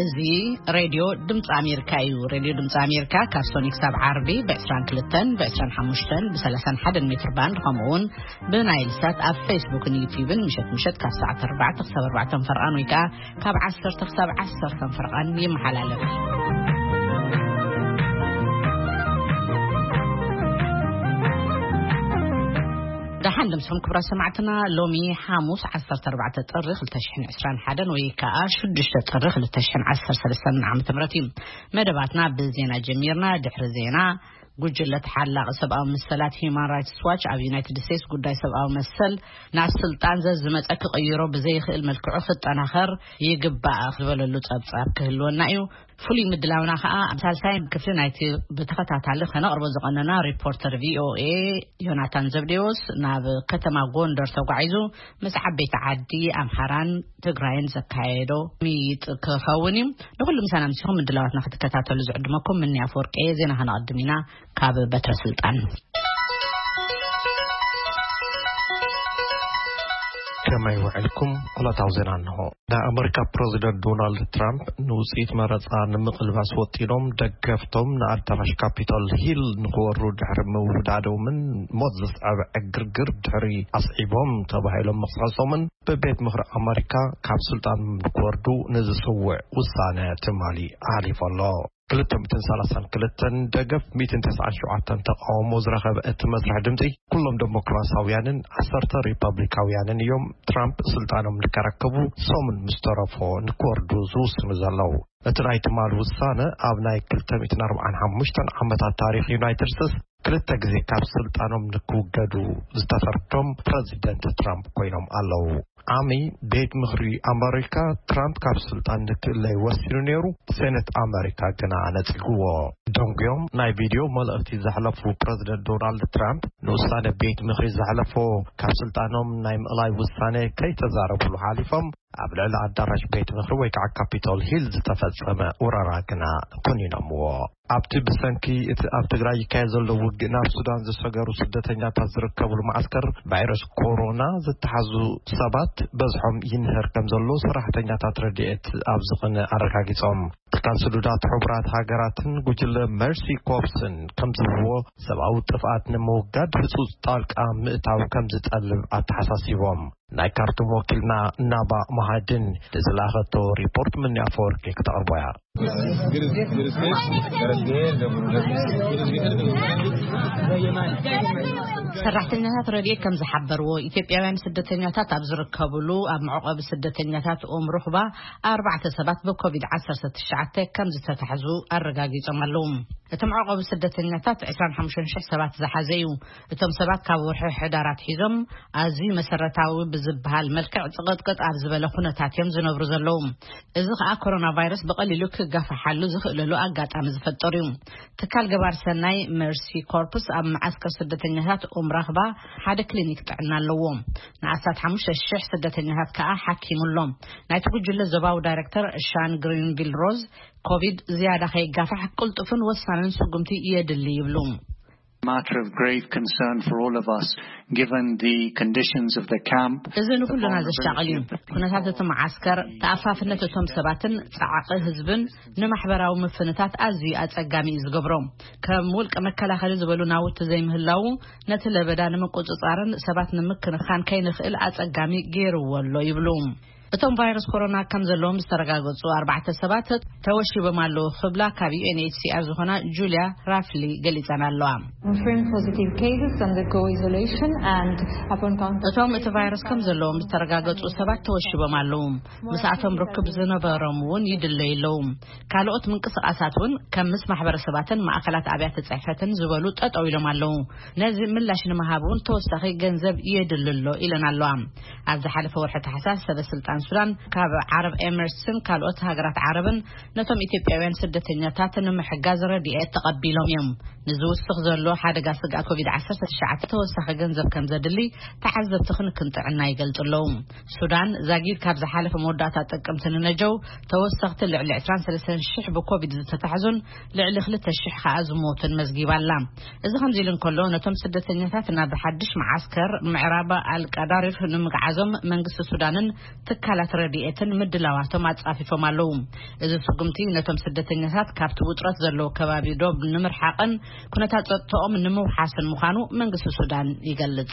እዚ ሬድዮ ድምፂ ኣሜሪካ እዩ። ሬድዮ ድምፂ ኣሜሪካ ካብ ሶኒ ክሳብ ዓርቢ ብ22፣ ብ25፣ ብ31 ሜትር ባንድ፣ ከምኡ እውን ብናይል ሳት ኣብ ፌስቡክን ዩቲዩብን ምሸት ምሸት ካብ ሰዓት ኣርባዕተ ክሳብ ኣርባዕተ ፈርቓን ወይ ከዓ ካብ ዓሰርተ ክሳብ ዓሰርተ ፈርቓን ይመሓላለፍ። ደሓን ድምፅኹም ክብራ ሰማዕትና። ሎሚ ሓሙስ ዓሰርተ ኣርባዕተ ጥሪ ክልተ ሽሕን ዕስራን ሓደን ወይ ከዓ ሽዱሽተ ጥሪ ክልተ ሽሕን ዓሰርተ ሰለስተን ዓመተ ምህረት እዩ። መደባትና ብዜና ጀሚርና። ድሕሪ ዜና፣ ጉጅለ ተሓላቒ ሰብኣዊ መሰላት ሂዩማን ራይትስ ዋች ኣብ ዩናይትድ ስቴትስ ጉዳይ ሰብኣዊ መሰል ናብ ስልጣን ዘዝመፀ ክቕይሮ ብዘይኽእል መልክዑ ክጠናኸር ይግባእ ዝበለሉ ጸብጻብ ክህልወና እዩ። ፍሉይ ምድላውና ከኣ ኣብ ሳልሳይ ክፍሊ ናይቲ ብተኸታታሊ ከነቕርቦ ዝቐነና ሪፖርተር ቪ ኦ ኤ ዮናታን ዘብዴዎስ ናብ ከተማ ጎንደር ተጓዒዙ ምስ ዓበይቲ ዓዲ ኣምሓራን ትግራይን ዘካየዶ ምይይጥ ክኸውን እዩ። ንኹሉ ምሳና ምሲኹም ምድላዋትና ክትከታተሉ ዝዕድመኩም ምኒ ኣፈወርቂ እየ። ዜና ከነቐድም ኢና። ካብ በትረ ስልጣን። ከመይ ውዕልኩም? ዕለታዊ ዜና እንሆ። ናይ ኣመሪካ ፕረዚደንት ዶናልድ ትራምፕ ንውፅኢት መረፃ ንምቕልባስ ወጢኖም ደገፍቶም ንኣዳራሽ ካፒቶል ሂል ንክወሩ ድሕሪ ምውዳዶምን ሞት ዘስዓበ ዕግርግር ድሕሪ ኣስዒቦም ተባሂሎም ምኽሳሶምን ብቤት ምኽሪ ኣመሪካ ካብ ስልጣን ንክወርዱ ንዝስውዕ ውሳነ ትማሊ ኣሕሊፉ ኣሎ። ክልተ ሚእትን ሰላሳን ክልተን ደገፍ፣ ሚእትን ተስዓን ሸውዓተን ተቃውሞ ዝረኸበ እቲ መስርሕ ድምፂ፣ ኩሎም ዴሞክራሲያውያንን ዓሰርተ ሪፐብሊካውያንን እዮም ትራምፕ ስልጣኖም ንከረክቡ ሰሙን ምስ ተረፎ ንክወርዱ ዝውስኑ ዘለዉ። እቲ ናይ ትማሊ ውሳነ ኣብ ናይ ክልተ ሚእትን ኣርባዓን ሓሙሽተን ዓመታት ታሪኽ ዩናይትድ ስቴትስ ክልተ ግዜ ካብ ስልጣኖም ንክውገዱ ዝተፈርዶም ፕረዚደንት ትራምፕ ኮይኖም ኣለዉ። ዓሚ ቤት ምኽሪ ኣመሪካ ትራምፕ ካብ ስልጣን ንክእለይ ወሲኑ ነይሩ፣ ሴኔት ኣመሪካ ግና ነጺግዎ። ደንጉዮም ናይ ቪድዮ መልእኽቲ ዘሕለፉ ፕረዚደንት ዶናልድ ትራምፕ ንውሳነ ቤት ምኽሪ ዘሕለፎ ካብ ስልጣኖም ናይ ምእላይ ውሳነ ከይተዛረብሉ ሓሊፎም፣ ኣብ ልዕሊ ኣዳራሽ ቤት ምኽሪ ወይ ከዓ ካፒቶል ሂል ዝተፈጸመ ወረራ ግና ኮኒኖምዎ። ኣብቲ ብሰንኪ እቲ ኣብ ትግራይ ይካየድ ዘሎ ውግእ ናብ ሱዳን ዝሰገሩ ስደተኛታት ዝርከብሉ መዓስከር ቫይረስ ኮሮና ዝተሓዙ ሰባት በዝሖም ይንህር ከም ዘሎ ሰራሕተኛታት ረድኤት ኣብ ዝኽነ ኣረጋጊጾም። ትካል ስዱዳት ሕቡራት ሃገራትን ጉጅለ መርሲ ኮፕስን ከም ዝብልዎ፣ ሰብኣዊ ጥፍኣት ንምውጋድ ህጹጽ ጣልቃ ምእታው ከም ዝጠልብ ኣተሓሳሲቦም። ናይ ካርቱም ወኪልና ናባ መሃድን ንዝለኣኸቶ ሪፖርት ምኒ ኣፈወርቂ ክተቕርቦ እያ። ሰራሕተኛታት ረድኤት ከም ዝሓበርዎ፣ ኢትዮጵያውያን ስደተኛታት ኣብ ዝርከብሉ ኣብ መዕቆቢ ስደተኛታት ኦም ሩኽባ ኣርባዕተ ሰባት ብኮቪድ ዓሰርተ ትሽዓተ ከም ዝተታሕዙ ኣረጋጊጾም ኣለዉ። እቲ መዕቆቢ ስደተኛታት ዕስራን ሓሙሽተን ሽሕ ሰባት ዝሓዘ እዩ። እቶም ሰባት ካብ ወርሒ ሕዳር ኣትሒዞም ኣዝዩ መሰረታዊ ብዝበሃል መልክዕ ጽቕጥቅጥ ኣብ ዝበለ ኩነታት እዮም ዝነብሩ ዘለዉ። እዚ ከኣ ኮሮና ቫይረስ ብቐሊሉ ክጋፋሓሉ ዝኽእለሉ ኣጋጣሚ ዝፈጠሩ እዩ። ትካል ገባር ሰናይ መርሲ ኮርፕስ ኣብ መዓስከር ስደተኛታት ኡም ራኽባ ሓደ ክሊኒክ ጥዕና ኣለዎ። ንኣስታት ሓሙሽተ ሽሕ ስደተኛታት ከኣ ሓኪሙ ኣሎ። ናይቲ ጉጅለ ዞባዊ ዳይሬክተር ሻን ግሪንቪል ሮዝ፣ ኮቪድ ዝያዳ ከይጋፋሕ ቅልጡፍን ወሳንን ስጉምቲ የድሊ ይብሉ። Matter of grave concern for all of us, given the conditions of the camp. እዚ ንኩልና ዘሻቕል እዩ። ኩነታት እቲ መዓስከር፣ ተኣፋፍነት እቶም ሰባትን ጻዕቂ ህዝብን ንማሕበራዊ ምፍንታት ኣዝዩ ኣጸጋሚ እዩ ዝገብሮ። ከም ውልቀ መከላኸሊ ዝበሉ ናውቲ ዘይምህላዉ፣ ነቲ ለበዳ ንምቁጽጻርን ሰባት ንምክንኻን ከይንኽእል ኣጸጋሚ ገይርዎ ኣሎ ይብሉ። እቶም ቫይረስ ኮሮና ከም ዘለዎም ዝተረጋገጹ ኣርባዕተ ሰባት ተወሺቦም ኣለዉ ክብላ ካብ ዩ ኤን ኤች ሲ ኣር ዝኾና ጁልያ ራፍሊ ገሊጸን ኣለዋ። Confirmed positive cases undergo isolation and upon contact እቶም እቲ ቫይረስ ከም ዘለዎም ዝተረጋገጹ ሰባት ተወሺቦም ኣለዉ። ምስኣቶም ርክብ ዝነበሮም እውን ይድለዩ ኣለዉ። ካልኦት ምንቅስቓሳት እውን ከም ምስ ማሕበረሰባትን ማእከላት ኣብያተ ጽሕፈትን ዝበሉ ጠጠው ኢሎም ኣለዉ። ነዚ ምላሽ ንምሃብ እውን ተወሳኺ ገንዘብ የድሊ ኣሎ ኢለን ኣለዋ። ኣብ ዝሓለፈ ወርሒ ታሕሳስ ሰበ ስልጣን ሱዳን ካብ ዓረብ ኤምሬትስን ካልኦት ሃገራት ዓረብን ነቶም ኢትዮጵያውያን ስደተኛታት ንምሕጋዝ ረድኤት ተቐቢሎም እዮም። ንዝውስኽ ዘሎ ሓደጋ ስግኣት ኮቪድ ዓሰርተ ትሽዓተ ተወሳኺ ገንዘብ ከም ዘድሊ ተዓዘብቲ ክንክን ጥዕና ይገልጹ ኣለዉ። ሱዳን ዛጊድ ካብ ዝሓለፈ መወዳእታ ጥቅምቲ ንነጀው ተወሰኽቲ ልዕሊ ዕስራን ሰለስተን ሽሕ ብኮቪድ ዝተታሕዙን ልዕሊ ክልተ ሽሕ ከኣ ዝሞቱን መዝጊባ ኣላ። እዚ ከምዚ ኢሉ እንከሎ፣ ነቶም ስደተኛታት ናብ ሓድሽ መዓስከር ምዕራብ ኣልቀዳሪፍ ንምግዓዞም መንግስቲ ሱዳንን ትካል ትካላት ረድኤትን ምድላዋቶም ኣጻፊፎም ኣለዉ። እዚ ስጉምቲ ነቶም ስደተኛታት ካብቲ ውጥረት ዘለዎ ከባቢ ዶብ ንምርሓቕን ኩነታት ጸጥታኦም ንምውሓስን ምዃኑ መንግስቲ ሱዳን ይገልጽ።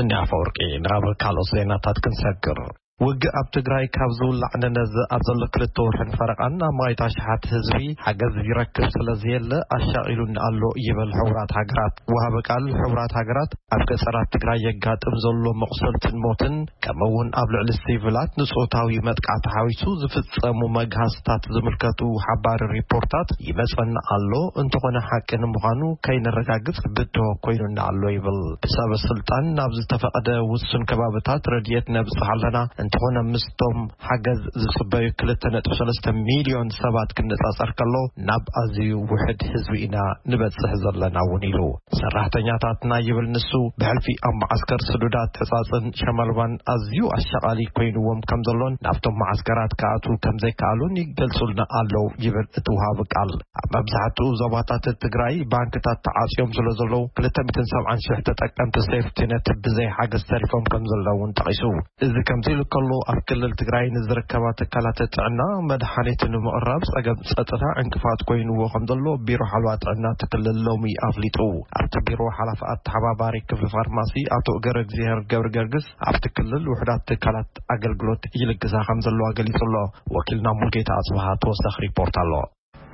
እንዲ ኣፈወርቂ፣ ናብ ካልኦት ዜናታት ክንሰግር። ውግእ ኣብ ትግራይ ካብ ዝውላዕ ንነዘ ኣብ ዘሎ ክልተ ወርሕን ፈረቓን ኣብ ማይታ ሽሓት ህዝቢ ሓገዝ ይረክብ ስለ ዘየለ ኣሻቒሉኒ ኣሎ ይብል ሕቡራት ሃገራት። ወሃቢ ቃል ሕቡራት ሃገራት ኣብ ገጸራት ትግራይ የጋጥም ዘሎ መቑሰልትን ሞትን ከምኡ እውን ኣብ ልዕሊ ሲቪላት ንጾታዊ መጥቃዕቲ ሓዊሱ ዝፍጸሙ መግሃስታት ዝምልከቱ ሓባሪ ሪፖርታት ይመጸና ኣሎ፣ እንተኾነ ሓቂ ንምዃኑ ከይነረጋግጽ ብድሆ ኮይኑና ኣሎ ይብል። ብሰበ ስልጣን ናብ ዝተፈቐደ ውሱን ከባብታት ረድኤት ነብጽሕ ኣለና፣ እንተኾነ ምስቶም ሓገዝ ዝጽበዩ ክልተ ነጥቢ ሰለስተ ሚልዮን ሰባት ክነጻጸር ከሎ ናብ ኣዝዩ ውሕድ ህዝቢ ኢና ንበጽሕ ዘለና እውን ኢሉ። ሰራሕተኛታትና ይብል ንሱ፣ ብሕልፊ ኣብ መዓስከር ስዱዳት ሕጻጽን ሸመልባን ኣዝዩ ኣሻቓሊ ኮይንዎም ከም ዘሎን ናብቶም መዓስከራት ክኣትዉ ከም ዘይከኣሉን ይገልጹልና ኣለዉ ይብል እቲ ውሃቢ ቃል። ኣብ መብዛሕትኡ ዞባታት ትግራይ ባንክታት ተዓጽዮም ስለ ዘለዉ ክልተ ሚእትን ሰብዓን ሽሕ ተጠቀምቲ ሴፍቲነት ብዘይ ሓገዝ ተሪፎም ከም ዘለዉ እውን ጠቒሱ። እዚ ከምዚ ኢሉ ከሎ ኣብ ክልል ትግራይ ንዝርከባ ትካላት ጥዕና መድሓኒት ንምቕራብ ጸገም ጸጥታ ዕንቅፋት ኮይንዎ ከም ዘሎ ቢሮ ሓለዋ ጥዕና እቲ ክልል ሎሚ ኣፍሊጡ። ኣብቲ ቢሮ ሓላፊ ኣተሓባባሪ ክፍሊ ፋርማሲ ኣቶ ገረ እግዚኣብሔር ገብረ ገርግስ ኣብቲ ክልል ውሕዳት ትካላት ኣገልግሎት ይልግሳ ከም ዘለዋ ገሊጹ ኣሎ። ወኪልና ሙልጌታ ኣጽብሃ ተወሳኺ ሪፖርት ኣሎ።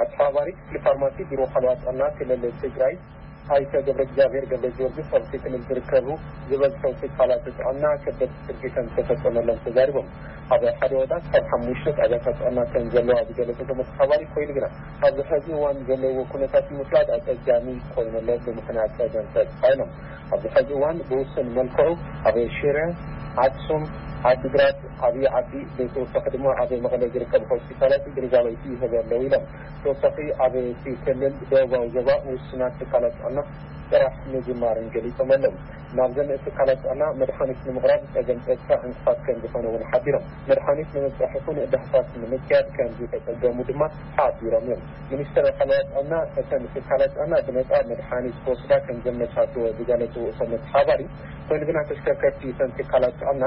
ኣተሓባባሪ ክፍሊ ፋርማሲ ቢሮ ሓለዋ ጥዕና ክልል ትግራይ ኣይተ ገብረ እግዚኣብሔር ገብረ ጊዮርጊስ ኣብቲ ክልል ዝርከቡ ዝበዝሑ ትካላት ጥዕና ከበድቲ ስርቂተን ዝተፈጸመሎም ተዛሪቦም። ኣብ ሓደ ወረዳ ካብ ሓሙሽተ ጣብያታት ጥዕና ከም ዘለዋ ዝገለጸ እቶም ኣተሓባባሪ ኮይኑ ግና ኣብዚ ሕዚ እዋን ዘለዎ ኩነታት ንምፍላጥ ኣጸጋሚ ኮይኑ ኣሎ ብምኽንያት ጸገም ጸጥታ ኢሎም። ኣብዚ ሕዚ እዋን ብውሱን መልክዑ ኣብ ሽረ፣ ኣክሱም፣ ዓዲግራት፣ ዓብዪ ዓዲ ብተወሳኺ ድማ ኣብ መቐለ ዝርከቡ ሆስፒታላት ግልጋሎት ይህቡ ኣለዉ ኢሎም። ተወሳኺ ኣብ እቲ ክልል ደቡባዊ ዞባ ውሱናት ትካላት ጥዕና ስራሕ ምጅማርን ገሊጾም ኣለዉ። ናብዘን ትካላት ጥዕና መድሓኒት ንምቕራብ ጸገም ጸጥታ ዕንቅፋት ከም ዝኾነ እውን ሓቢሮም። መድሓኒት ንምብጻሕ ይኹን ዳህሳስ ንምክያድ ከም ዝተጸገሙ ድማ ሓቢሮም እዮም። ሚኒስትር ሓለዋ ጥዕና እተን ትካላት ጥዕና ብነጻ መድሓኒት ክወስዳ ከም ዘመቻቸወ ዝገለጹ እቶም መተሓባሪ፣ ኮይኑ ግና ተሽከርከርቲ እተን ትካላት ጥዕና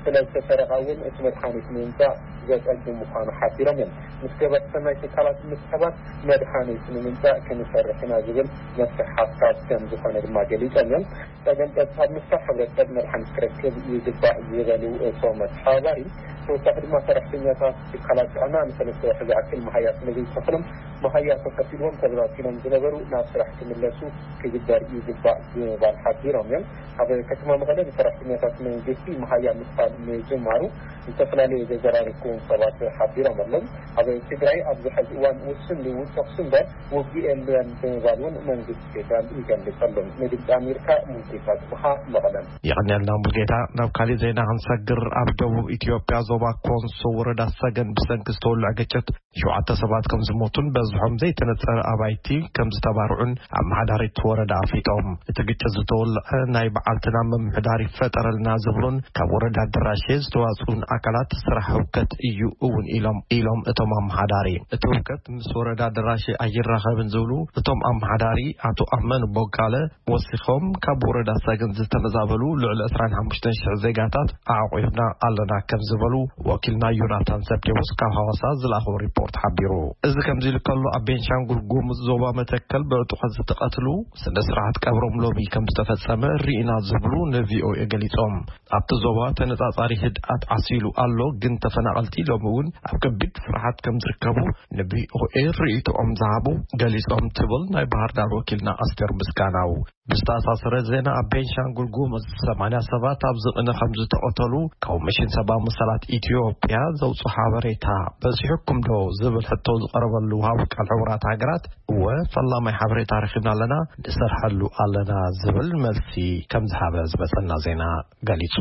ስለ ዝተሰረቓ እውን እቲ መድሓኒት ንምምጻእ ዘጸግም ምዃኑ ሓቢሮም እዮም። ምስ ገበርቲ ሰናይ ትካላት ብምትሕብባር መድሓኒት ንምምጻእ ክንሰርሕ ኢና ዝብል መፍትሒ ሓሳብ ከም ዝኾነ ድማ ገሊጾም እዮም። ጸገም ጸጥታ ብምፍታሕ ሕብረተሰብ መድሓኒት ክረክብ ይግባእ ዝበሉ እቶም መተሓባሪ፣ ተወሳኺ ድማ ሰራሕተኛታት ትካላት ጥዕና ንሰለስተ ወርሒ ዝኣክል መሃያ ስለ ዘይከፈሎም መሃያ ተኸፊልዎም ተበታቲኖም ዝነበሩ ናብ ስራሕ ክምለሱ ክግበር ይግባእ ብምባል ሓቢሮም እዮም። ኣብ ከተማ መቐለ ንሰራሕተኛታት መንግስቲ መሃያ ምክፋል ምጅማሩ ዝተፈላለዩ ዘዘራረብኩዎም ሰባት ሓቢሮም ኣለዉ። ኣብ ትግራይ ኣብዚ ሕዚ እዋን ውሱን ልውውጥ ተኹሲ እምበር ውግእ የለን ብምባል እውን መንግስቲ ፌደራል ይገልጽ ኣሎ። ንድምፂ ኣሜሪካ ሙልጌታ ጽብሃ መቐለ። የቐንየልና ሙልጌታ። ናብ ካሊእ ዜና ክንሰግር፣ ኣብ ደቡብ ኢትዮጵያ ዞባ ኮንሶ ወረዳ ሰገን ብሰንኪ ዝተወልዐ ግጭት ሸውዓተ ሰባት ከም ዝሞቱን በዝሖም ዘይተነጸረ ኣባይቲ ከም ዝተባርዑን ኣመሓዳሪት ወረዳ ኣፍሊጦም። እቲ ግጭት ዝተወልዐ ናይ በዓልትና ምምሕዳር ይፈጠረልና ዝብሉን ካብ ወረዳ ደራሼ ዝተዋጽኡን ኣካላት ስራሕ ህውከት እዩ እውን ኢሎም፣ ኢሎም እቶም ኣመሓዳሪ። እቲ ህውከት ምስ ወረዳ ደራሼ ኣይራኸብን ዝብሉ እቶም ኣመሓዳሪ ኣቶ ኣመን ቦጋለ ወሲኾም፣ ካብ ወረዳ ሰገን ዝተመዛበሉ ልዕሊ ዕስራን ሓሙሽተን ሽሕ ዜጋታት ኣዕቑብና ኣለና ከም ዝበሉ ወኪልና ዮናታን ዘብዴዎስ ካብ ሃዋሳ ዝለኣኾ ሪፖርት ሓቢሩ። እዚ ከምዚ ኢሉ ከሎ፣ ኣብ ቤንሻንጉል ጉሙዝ ዞባ መተከል ብዕጡቓት ዝተቐትሉ ስነ ስርዓት ቀብሮም ሎሚ ከም ዝተፈጸመ ርኢና ዝብሉ ንቪኦኤ ገሊጾም። ኣብቲ ዞባ ተነጻጻሪ ህድኣት ዓሲሉ ኣሎ፣ ግን ተፈናቐልቲ ሎሚ እውን ኣብ ከቢድ ፍርሓት ከም ዝርከቡ ንቪኦኤ ርእይቶኦም ዝሃቡ ገሊጾም ትብል ናይ ባህር ዳር ወኪልና ኣስቴር ምስጋናው። ብዝተኣሳሰረ ዜና፣ ኣብ ቤንሻንጉል ጉሙዝ ሰማንያ ሰባት ኣብዚ ቅነ ከም ዝተቐተሉ ኮሚሽን ሰብኣዊ መሰላት ኢትዮጵያ ዘውፅኦ ሓበሬታ በፂሑኩም ዶ ዝብል ሕቶ ዝቐረበሉ ወሃቢ ቃል ሕቡራት ሃገራት፣ እወ፣ ፈላማይ ሓበሬታ ረኺብና ኣለና፣ ንሰርሐሉ ኣለና ዝብል መልሲ ከም ዝሃበ ዝመፀና ዜና ገሊጹ።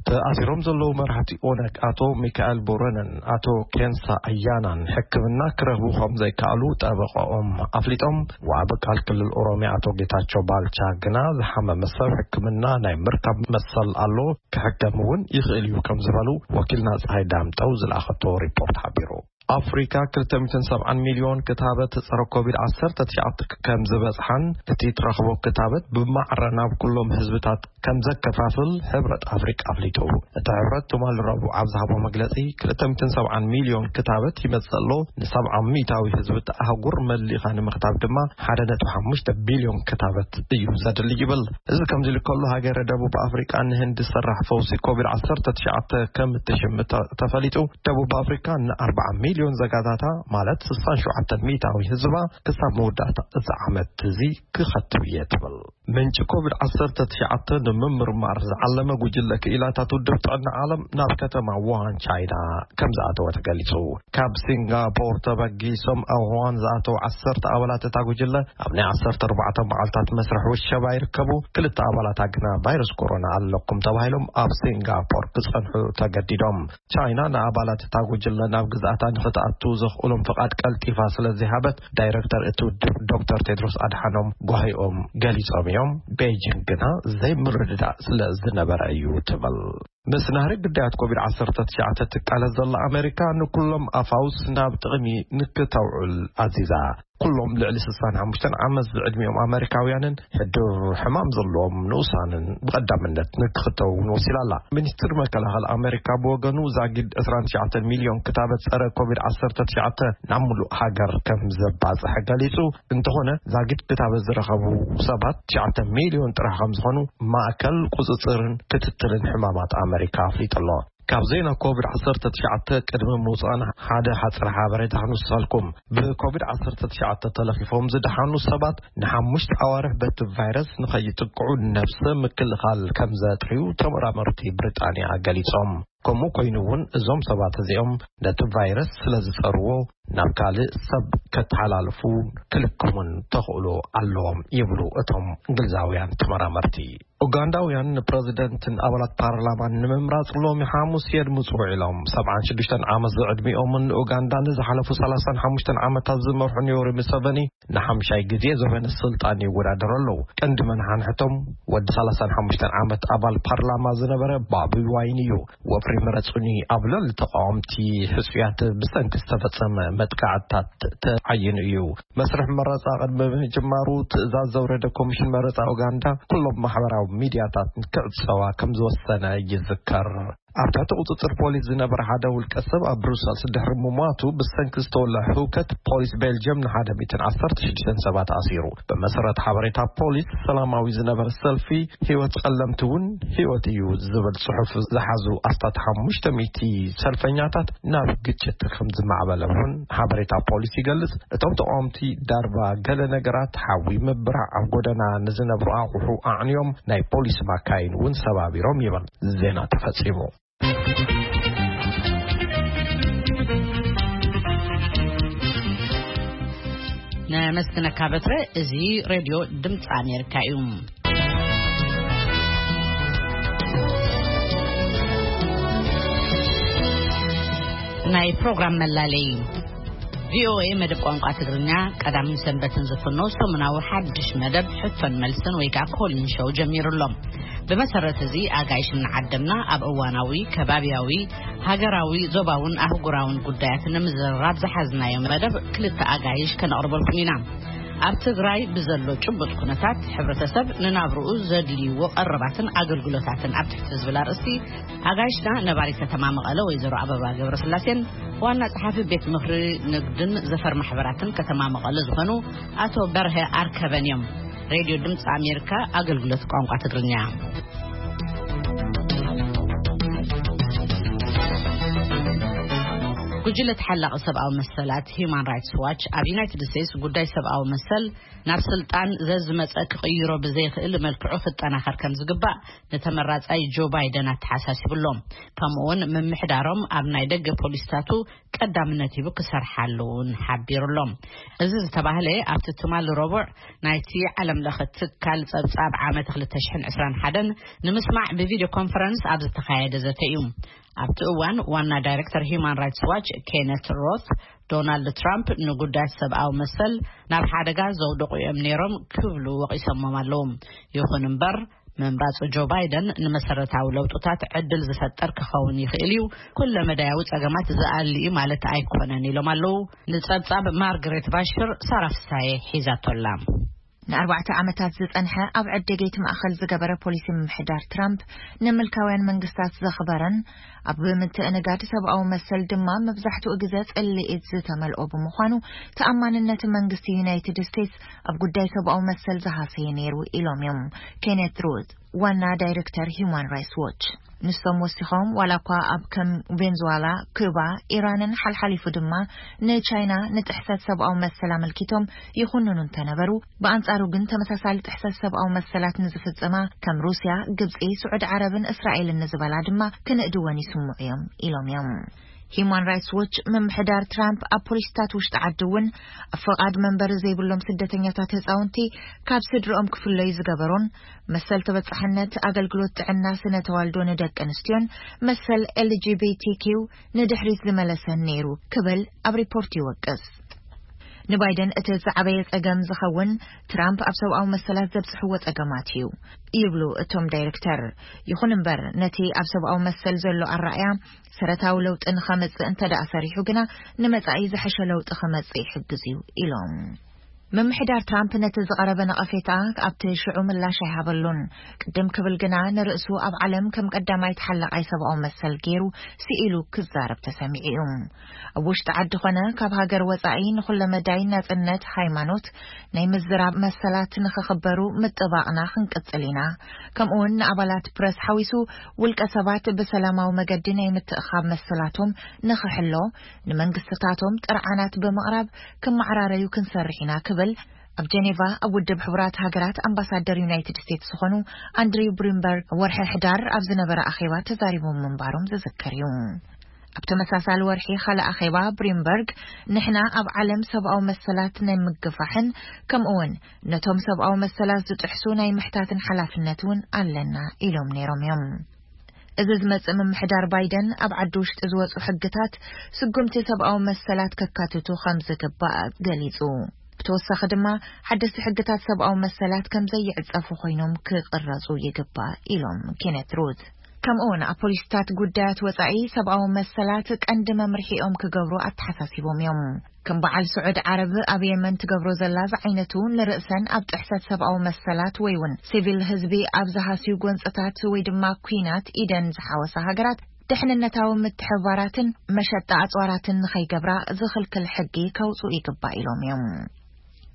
ተኣሲሮም ዘለዉ መራሕቲ ኦነግ ኣቶ ሚካኤል ቦረነን ኣቶ ኬንሳ ኣያናን ሕክምና ክረኽቡ ከም ዘይከኣሉ ጠበቃኦም ኣፍሊጦም። ወሃቢ ቃል ክልል ኦሮሚያ ኣቶ ጌታቸው ባልቻ ግና ዝሓመመ ሰብ ሕክምና ናይ ምርካብ መሰል ኣሎ፣ ክሕከም እውን ይኽእል እዩ ከም ዝበሉ ወኪልና ፀሃይ ዳምጠው ዝለኣኸቶ ሪፖርት ሓቢሩ። ኣፍሪካ ክልተ ሚእትን ሰብዓን ሚልዮን ክታበት ጸረ ኮቪድ ዓሰርተ ትሽዓተ ከም ዝበጽሓን እቲ ትረኽቦ ክታበት ብማዕረ ናብ ኩሎም ህዝብታት ከም ዘከፋፍል ሕብረት ኣፍሪካ ኣፍሊጡ። እቲ ሕብረት ትማሊ ረቡዕ ኣብ ዝሃቦ መግለጺ፣ ክልተ ሚእትን ሰብዓን ሚልዮን ክታበት ይመጽእ ኣሎ፣ ንሰብዓ ሚእታዊ ህዝቢ እቲ ኣህጉር መሊኻ ንምኽታብ ድማ ሓደ ነጥቢ ሓሙሽተ ቢልዮን ክታበት እዩ ዘድሊ ይብል። እዚ ከምዚ ኢሉ ከሎ፣ ሃገረ ደቡብ ኣፍሪቃ ንህንዲ ሰራሕ ፈውሲ ኮቪድ ዓሰርተ ትሽዓተ ከም እትሽምት ተ-፣ ተፈሊጡ። ደቡብ ኣፍሪካ ንኣርብዓ ሚልዮን ዘጋታታ፣ ማለት ስሳን ሸውዓተን ሚእታዊ ህዝባ፣ ክሳብ መወዳእታ እዚ ዓመት እዚ ክኸትብ እየ ትብል። ምንጪ ኮቪድ ዓሰርተ ትሽዓተ ንምምርማር ዝዓለመ ጉጅለ ክኢላታት ውድብ ጥዕና ዓለም ናብ ከተማ ውሃን ቻይና ከም ዝኣተወ ተገሊጹ። ካብ ሲንጋፖር ተበጊሶም ኣብ ውሃን ዝኣተው ዓሰርተ ኣባላት እታ ጉጅለ፣ ኣብ ናይ ዓሰርተ ኣርባዕተ መዓልታት መስርሕ ውሸባ ይርከቡ። ክልተ ኣባላታ ግና ቫይረስ ኮሮና ኣለኩም ተባሂሎም ኣብ ሲንጋፖር ክጸንሑ ተገዲዶም። ቻይና ንኣባላት እታ ጉጅለ ናብ ግዝኣታ ንኽትኣቱ ዘኽእሎም ፍቓድ ቀልጢፋ ስለ ዘይሃበት፣ ዳይረክተር እቲ ውድብ ዶክተር ቴድሮስ ኣድሓኖም ጓሂኦም ገሊጾም እዮም። ቤጂንግ ግና ዘይምርድዳእ ስለ ዝነበረ እዩ ትብል። ምስ ናህሪ ግዳያት ኮቪድ ዓሰርተ ትሽዓተ ትቃለስ ዘላ ኣሜሪካ፣ ንኩሎም ኣፋውስ ናብ ጥቕሚ ንክተውዕል ኣዚዛ። ኩሎም ልዕሊ ስሳን ሓሙሽተን ዓመት ዝዕድሚኦም ኣመሪካውያንን ሕዱር ሕማም ዘለዎም ንኡሳንን ብቐዳምነት ንክኽተቡ እውን ወሲላ ኣላ። ሚኒስትሪ መከላኸሊ ኣመሪካ ብወገኑ፣ ዛጊድ ዕስራን ትሽዓተን ሚልዮን ክታበት ጸረ ኮቪድ ዓሰርተ ትሽዓተ ናብ ሙሉእ ሃገር ከም ዘባጽሐ ገሊጹ። እንተኾነ፣ ዛጊድ ክታበት ዝረኸቡ ሰባት ትሽዓተ ሚልዮን ጥራሕ ከም ዝኾኑ ማእከል ቁጽጽርን ክትትልን ሕማማት ኣመሪካ ኣፍሊጡ ኣሎ። ካብ ዜና ኮቪድ ዓሰርተ ትሽዓተ ቅድሚ ምውጻእና፣ ሓደ ሓጽር ሓበሬታ ክንውስኸልኩም። ብኮቪድ ዓሰርተ ትሽዓተ ተለኺፎም ዝደሓኑ ሰባት ንሓሙሽተ ኣዋርሕ በቲ ቫይረስ ንኸይጥቅዑ ነብሰ ምክልኻል ከም ዘጥርዩ ተመራመርቲ ብሪጣንያ ገሊጾም። ከምኡ ኮይኑ እውን፣ እዞም ሰባት እዚኦም ነቲ ቫይረስ ስለ ዝጸርዎ፣ ናብ ካልእ ሰብ ከተሓላልፉ ክልክሙን ተኽእሎ ኣለዎም ይብሉ እቶም እንግሊዛውያን ተመራመርቲ። ኡጋንዳውያን ንፕረዚደንትን ኣባላት ፓርላማን ንምምራጽ ሎሚ ሓሙስ የድምጹ ውዒሎም። ሰብዓን ሽዱሽተን ዓመት ዝዕድሚኦምን ንኡጋንዳ ንዝሓለፉ ሰላሳን ሓሙሽተን ዓመታት ዝመርሑን ዮወሪ ሙሰቨኒ ንሓምሻይ ግዜ ዘበነ ስልጣን ይወዳደሩ ኣለዉ። ቀንዲ መናሓንሕቶም ወዲ ሰላሳን ሓሙሽተን ዓመት ኣባል ፓርላማ ዝነበረ ባቢ ዋይን እዩ። ወፍሪ ምረጹኒ ኣብ ልዕሊ ተቃወምቲ ሕጹያት ብሰንኪ ዝተፈጸመ መጥቃዕትታት ተዓይኑ እዩ። መስርሕ መረጻ ቅድሚ ምጅማሩ፣ ትእዛዝ ዘውረደ ኮሚሽን መረጻ ኡጋንዳ፣ ኩሎም ማሕበራዊ ሚድያታት ክዕጸዋ ከም ዝወሰነ ይዝከር። ኣብ ትሕቲ ቁጽጽር ፖሊስ ዝነበረ ሓደ ውልቀ ሰብ ኣብ ብሩሰልስ ድሕሪ ምሟቱ፣ ብሰንኪ ዝተወልዐ ህውከት፣ ፖሊስ ቤልጅየም ንሓደ ሚእትን ዓሰርተ ሽዱሽተን ሰባት ኣሲሩ። ብመሰረት ሓበሬታ ፖሊስ፣ ሰላማዊ ዝነበረ ሰልፊ፣ ህይወት ጸለምቲ እውን ህይወት እዩ ዝብል ጽሑፍ ዝሓዙ ኣስታት ሓሙሽተ ሚእቲ ሰልፈኛታት ናብ ግጭት ከም ዝማዕበለ እውን ሓበሬታ ፖሊስ ይገልጽ። እቶም ተቃወምቲ ዳርባ ገለ ነገራት፣ ሓዊ፣ ምብራዕ፣ ኣብ ጎደና ንዝነብሩ ኣቑሑ ኣዕንዮም፣ ናይ ፖሊስ ማካይን እውን ሰባቢሮም ይብል። ዜና ተፈጺሙ። ነመስግነካ በትረ። እዚ ሬድዮ ድምፂ ኣሜሪካ እዩ። ናይ ፕሮግራም መላለይ። ቪኦኤ መደብ ቋንቋ ትግርኛ ቀዳምን ሰንበትን ዝፍኖ ሰሙናዊ ሓድሽ መደብ ሕቶን መልስን ወይ ከዓ ኮሊን ሾው ጀሚሩ ኣሎ። ብመሰረት እዚ፣ ኣጋይሽ እናዓደምና ኣብ እዋናዊ፣ ከባብያዊ፣ ሃገራዊ፣ ዞባውን ኣህጉራውን ጉዳያት ንምዝርራብ ዝሓዝናዮ መደብ ክልተ ኣጋይሽ ከነቕርበልኩም ኢና። ኣብ ትግራይ ብዘሎ ጭቡጥ ኩነታት፣ ሕብረተሰብ ንናብርኡ ዘድልይዎ ቀረባትን ኣገልግሎታትን ኣብ ትሕቲ ዝብል ኣርእስቲ፣ ኣጋይሽና ነባሪት ከተማ መቐለ ወይዘሮ ኣበባ ገብረስላሴን ዋና ጸሓፊ ቤት ምኽሪ ንግድን ዘፈር ማሕበራትን ከተማ መቐለ ዝኾኑ ኣቶ በርሀ ኣርከበን እዮም። ሬድዮ ድምፂ ኣሜሪካ ኣገልግሎት ቋንቋ ትግርኛ። ጉጅለ ተሓላቒ ሰብኣዊ መሰላት ሂዩማን ራይትስ ዋች ኣብ ዩናይትድ ስቴትስ ጉዳይ ሰብኣዊ መሰል ናብ ስልጣን ዘዝመጸ ክቕይሮ ብዘይኽእል መልክዑ ክጠናኸር ከም ዝግባእ ንተመራጻይ ጆ ባይደን ኣተሓሳሲቡ ኣሎ። ከምኡውን ምምሕዳሮም ኣብ ናይ ደገ ፖሊሲታቱ ቀዳምነት ሂቡ ክሰርሓሉ እውን ሓቢሩ ኣሎ። እዚ ዝተባህለ ኣብቲ ትማሊ ረቡዕ ናይቲ ዓለም ለኸ ትካል ጸብጻብ ዓመት ክልተ ሽሕን ዕስራን ሓደን ንምስማዕ ብቪድዮ ኮንፈረንስ ኣብ ዝተኻየደ ዘተ እዩ። ኣብቲ እዋን ዋና ዳይሬክተር ሂዩማን ራይትስ ዋች ኬነት ሮት፣ ዶናልድ ትራምፕ ንጉዳያት ሰብኣዊ መሰል ናብ ሓደጋ ዘውደቑ እዮም ነይሮም ክብሉ ወቒሶሞም ኣለዉ። ይኹን እምበር ምምራጽ ጆ ባይደን ንመሰረታዊ ለውጥታት ዕድል ዝፈጥር ክኸውን ይኽእል እዩ፣ ኩለ መዳያዊ ጸገማት ዝኣሊ እዩ ማለት ኣይኮነን ኢሎም ኣለዉ። ንጸብጻብ ማርግሬት ባሽር ሳራ ፍሳየ ሒዛቶላ። ንኣርባዕተ ዓመታት ዝጸንሐ ኣብ ዕደገይቲ ማእኸል ዝገበረ ፖሊሲ ምምሕዳር ትራምፕ፣ ንምልካውያን መንግስታት ዘኽበረን ኣብ ምትእንጋድ ሰብኣዊ መሰል ድማ መብዛሕትኡ ግዜ ጽልኢት ዝተመልኦ ብምዃኑ፣ ተኣማንነት መንግስቲ ዩናይትድ ስቴትስ ኣብ ጉዳይ ሰብኣዊ መሰል ዝሃሰየ ነይሩ ኢሎም እዮም ኬኔት ሩት፣ ዋና ዳይሬክተር ሂውማን ራይትስ ዎች። ንሶም ወሲኾም፣ ዋላ እኳ ኣብ ከም ቬንዙዋላ፣ ኩባ፣ ኢራንን ሓልሓሊፉ ድማ ንቻይና ንጥሕሰት ሰብኣዊ መሰል ኣመልኪቶም ይኹንኑ እንተነበሩ፣ ብኣንጻሩ ግን ተመሳሳሊ ጥሕሰት ሰብኣዊ መሰላት ንዝፍጽማ ከም ሩስያ፣ ግብጺ፣ ስዑድ ዓረብን እስራኤልን ንዝበላ ድማ ክንእድወን ይስምዑ እዮም ኢሎም እዮም። ሂውማን ራይትስ ዎች፣ ምምሕዳር ትራምፕ ኣብ ፖሊሲታት ውሽጢ ዓዲ እውን ኣብ ፈቓድ መንበሪ ዘይብሎም ስደተኛታት ህፃውንቲ ካብ ስድርኦም ክፍለዩ ዝገበሮን መሰል ተበፃሕነት ኣገልግሎት ጥዕና ስነ ተዋልዶ ንደቂ ኣንስትዮን መሰል ኤል ጂ ቢ ቲ ኪው ንድሕሪት ዝመለሰን ነይሩ ክብል ኣብ ሪፖርት ይወቅስ። ንባይደን እቲ ዝዓበየ ጸገም ዝኸውን ትራምፕ ኣብ ሰብኣዊ መሰላት ዘብጽሕዎ ጸገማት እዩ ይብሉ እቶም ዳይሬክተር። ይኹን እምበር፣ ነቲ ኣብ ሰብኣዊ መሰል ዘሎ ኣረኣእያ ሰረታዊ ለውጢ ንኸመጽእ እንተ ደኣ ሰሪሑ ግና፣ ንመጻኢ ዝሐሸ ለውጢ ኸመጽእ ይሕግዝ እዩ ኢሎም። ምምሕዳር ትራምፕ ነቲ ዝቐረበ ነቐፌታ ኣብቲ ሽዑ ምላሽ ኣይሃበሉን። ቅድም ክብል ግና፣ ንርእሱ ኣብ ዓለም ከም ቀዳማይ ተሓላቓይ ሰብኣዊ መሰል ገይሩ ስኢሉ ክዛረብ ተሰሚዑ እዩ። ኣብ ውሽጢ ዓዲ ኾነ ካብ ሃገር ወጻኢ ንኹለ መዳይ ናጽነት ሃይማኖት፣ ናይ ምዝራብ መሰላት ንኽኽበሩ ምጥባቕና ክንቅጽል ኢና። ከምኡውን ንኣባላት ፕረስ ሓዊሱ ውልቀ ሰባት ብሰላማዊ መገዲ ናይ ምትእኻብ መሰላቶም ንኽሕሎ፣ ንመንግስትታቶም ጥርዓናት ብምቕራብ ክመዓራረዩ ክንሰርሕ ኢና ክብል ኣብ ጀኔቫ ኣብ ውድብ ሕቡራት ሃገራት ኣምባሳደር ዩናይትድ ስቴትስ ዝኾኑ ኣንድሪው ብሪምበርግ ወርሒ ሕዳር ኣብ ዝነበረ ኣኼባ ተዛሪቦም ምንባሮም ዝዝከር እዩ። ኣብ ተመሳሳሊ ወርሒ ካልእ ኣኼባ ብሪምበርግ፣ ንሕና ኣብ ዓለም ሰብኣዊ መሰላት ናይ ምግፋሕን ከምኡውን ነቶም ሰብኣዊ መሰላት ዝጥሕሱ ናይ ምሕታትን ሓላፍነት እውን ኣለና ኢሎም ነይሮም እዮም። እዚ ዝመጽእ ምምሕዳር ባይደን ኣብ ዓዲ ውሽጢ ዝወጹ ሕግታት ስጉምቲ ሰብኣዊ መሰላት ከካትቱ ከም ዝግባእ ገሊጹ። ብተወሳኺ ድማ ሓደስቲ ሕግታት ሰብኣዊ መሰላት ከም ዘይዕጸፉ ኮይኖም ክቕረጹ ይግባእ ኢሎም ኬኔት ሩት። ከምኡውን ኣብ ፖሊሲታት ጉዳያት ወጻኢ ሰብኣዊ መሰላት ቀንዲ መምርሒኦም ክገብሩ ኣተሓሳሲቦም እዮም። ከም በዓል ስዑድ ዓረብ ኣብ የመን ትገብሮ ዘላ ዝዓይነቱ ንርእሰን ኣብ ጥሕሰት ሰብኣዊ መሰላት ወይ እውን ሲቪል ህዝቢ ኣብ ዝሃስዩ ጎንጽታት ወይ ድማ ኲናት ኢደን ዝሓወሳ ሃገራት ደሕንነታዊ ምትሕብባራትን መሸጣ ኣጽዋራትን ንኸይገብራ ዝኽልክል ሕጊ ከውጽኡ ይግባእ ኢሎም እዮም።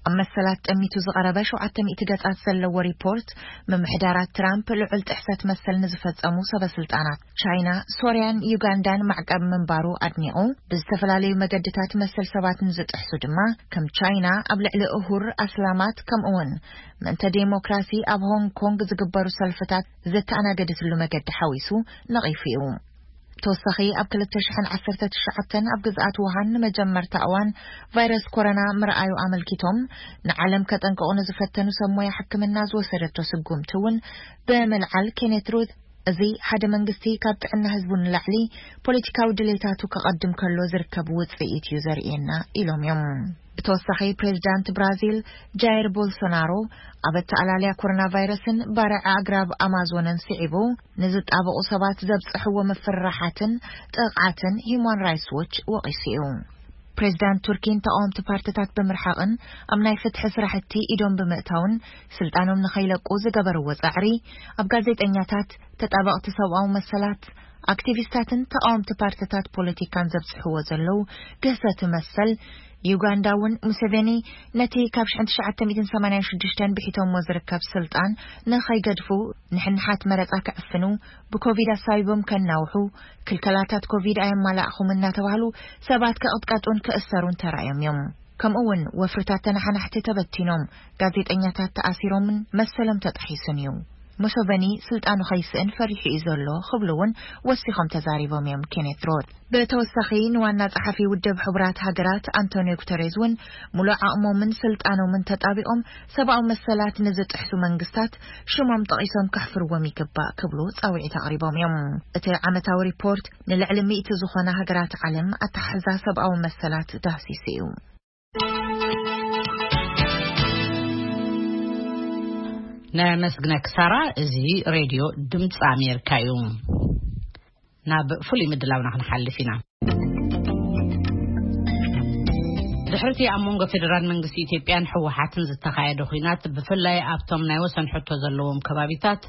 ኣብ መሰላት ጠሚቱ ዝቐረበ ሸውዓተ ሚእቲ ገጻት ዘለዎ ሪፖርት፣ ምምሕዳራት ትራምፕ ልዑል ጥሕሰት መሰል ንዝፈጸሙ ሰበ ስልጣናት ቻይና፣ ሶርያን ዩጋንዳን ማዕቀብ ምንባሩ ኣድኒቑ፣ ብዝተፈላለዩ መገድታት መሰል ሰባት ንዝጥሕሱ ድማ፣ ከም ቻይና ኣብ ልዕሊ እሁር ኣስላማት፣ ከምኡውን ምእንተ ዴሞክራሲ ኣብ ሆንግ ኮንግ ዝግበሩ ሰልፍታት ዘተኣናገደትሉ መገዲ ሓዊሱ ነቒፉ እዩ። ተወሳኺ፣ ኣብ ክልተ ሽሕን ዓሰርተ ትሽዓተን ኣብ ግዝኣት ውሃን ንመጀመርታ እዋን ቫይረስ ኮሮና ምርኣዩ ኣመልኪቶም፣ ንዓለም ከጠንቅቑ ንዝፈተኑ ሰብ ሞያ ሕክምና ዝወሰደቶ ስጉምቲ እውን ብምልዓል፣ ኬኔት ሩት፣ እዚ ሓደ መንግስቲ ካብ ጥዕና ህዝቡ ንላዕሊ ፖለቲካዊ ድሌታቱ ከቐድም ከሎ ዝርከብ ውጽኢት እዩ ዘርእየና ኢሎም እዮም። ብተወሳኺ፣ ፕሬዚዳንት ብራዚል ጃይር ቦልሶናሮ ኣብ ኣተኣላልያ ኮሮና ቫይረስን ባርዕ ኣግራብ ኣማዞንን ስዒቡ ንዝጣበቑ ሰባት ዘብጽሕዎ ምፍርራሓትን ጥቕዓትን ሂዩማን ራይትስ ዎች ወቒሱ እዩ። ፕሬዚዳንት ቱርኪን ተቃወምቲ ፓርትታት ብምርሓቕን ኣብ ናይ ፍትሒ ስራሕቲ ኢዶም ብምእታውን ስልጣኖም ንኸይለቁ ዝገበርዎ ጻዕሪ፣ ኣብ ጋዜጠኛታት፣ ተጣበቕቲ ሰብኣዊ መሰላት፣ ኣክቲቪስታትን ተቃወምቲ ፓርትታት ፖለቲካን ዘብጽሕዎ ዘለዉ ግህሰቲ መሰል፣ ዩጋንዳ እውን ሙሴቬኒ ነቲ ካብ ሽሕን ትሽዓተ ሚእትን ሰማንያን ሽዱሽተን ብሒቶሞ ዝርከብ ስልጣን ንኸይገድፉ፣ ንሕንሓት መረጻ ክዕፍኑ፣ ብኮቪድ ኣሳቢቦም ከናውሑ፣ ክልከላታት ኮቪድ ኣየማላእኹም እናተባህሉ ሰባት ክቕጥቀጡን ክእሰሩን ተራእዮም እዮም። ከምኡ እውን ወፍርታት ተነሓናሕቲ ተበቲኖም፣ ጋዜጠኛታት ተኣሲሮምን መሰሎም ተጣሒሱን እዩ። ሙሶቨኒ ስልጣኑ ከይስእን ፈሪሑ እዩ ዘሎ ክብሉ እውን ወሲኾም ተዛሪቦም እዮም ኬኔት ሮት። ብተወሳኺ፣ ንዋና ጸሓፊ ውድብ ሕቡራት ሃገራት ኣንቶኒዮ ጉተሬዝ እውን ሙሉእ ዓቕሞምን ስልጣኖምን ተጣቢቖም ሰብኣዊ መሰላት ንዝጥሕሱ መንግስታት ሽሞም ጠቒሶም ከሕፍርዎም ይግባእ ክብሉ ጻውዒት ኣቕሪቦም እዮም። እቲ ዓመታዊ ሪፖርት ንልዕሊ ሚእቲ ዝኾና ሃገራት ዓለም ኣተሓሕዛ ሰብኣዊ መሰላት ዳህሲሱ እዩ። ነመስግነኪ ሳራ። እዚ ሬድዮ ድምፂ ኣሜሪካ እዩ። ናብ ፍሉይ ምድላውና ክንሓልፍ ኢና። ድሕርቲ ኣብ መንጎ ፌደራል መንግስቲ ኢትዮጵያን ህወሓትን ዝተኻየደ ኲናት፣ ብፍላይ ኣብቶም ናይ ወሰን ሕቶ ዘለዎም ከባቢታት